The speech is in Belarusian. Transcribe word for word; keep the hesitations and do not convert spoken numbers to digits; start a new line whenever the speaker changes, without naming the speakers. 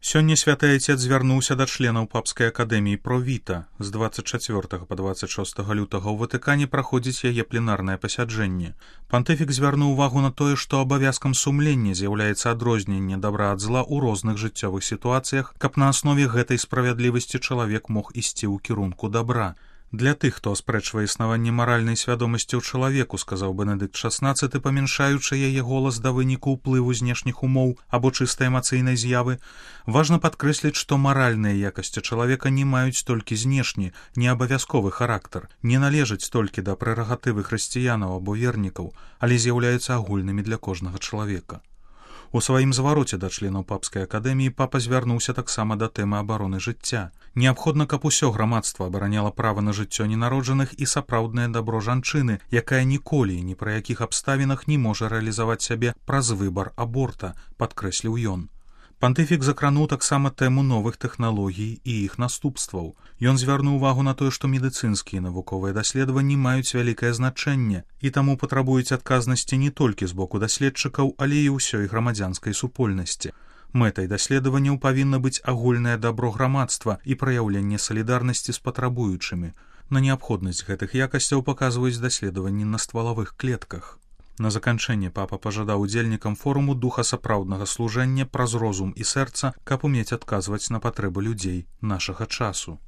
Сёння святы айцец звярнуўся да членаў папскай акадэміі Провіта. З дваццаць чацвёртага па дваццаць шостага лютага ў Ватыкане праходзіць яе пленарнае пасяджэнне. Пантыфік звярнуў увагу на тое, што абавязкам сумлення з'яўляецца адрозненне дабра ад зла ў розных жыццёвых сітуацыях, каб на аснове гэтай справядлівасці чалавек мог ісці ў кірунку дабра. Для тых, хто аспрэчвае існаванне маральнай свядомасці ў чалавеку, сказаў Бенедыкт шаснаццаты, памяншаючы яе голас да выніку ўплыву знешніх умоў або чыстай эмацыйнай з'явы, важна падкрэсліць, што маральныя якасці чалавека не маюць толькі знешні, неабавязковы характар, не належаць толькі да прэрагатывы хрысціянаў або вернікаў, але з'яўляюцца агульнымі для кожнага чалавека. У сваім звароце да членаў папскай акадэміі папа звярнуўся таксама да тэмы абароны жыцця. Неабходна, каб усё грамадства абараняла права на жыццё ненароджаных і сапраўднае дабро жанчыны, якая ніколі і ні пры якіх абставінах не можа рэалізаваць сябе праз выбар аборта, падкрэсліў ён. Пантыфік закрануў таксама тэму новых тэхналогій і іх наступстваў. Ён звярнуў увагу на тое, што медыцынскія навуковыя даследаванні маюць вялікае значэнне і таму патрабуюць адказнасці не толькі з боку даследчыкаў, але і ўсёй грамадзянскай супольнасці. Мэтай даследаванняў павінна быць агульнае дабро грамадства і праяўленне салідарнасці з патрабуючымі. На неабходнасць гэтых якасцяў паказваюць даследаванні на ствалавых клетках. На заканчэнне папа пажадаў удзельнікам форуму духа сапраўднага служэння праз розум і сэрца, каб умець адказваць на патрэбы людзей нашага часу.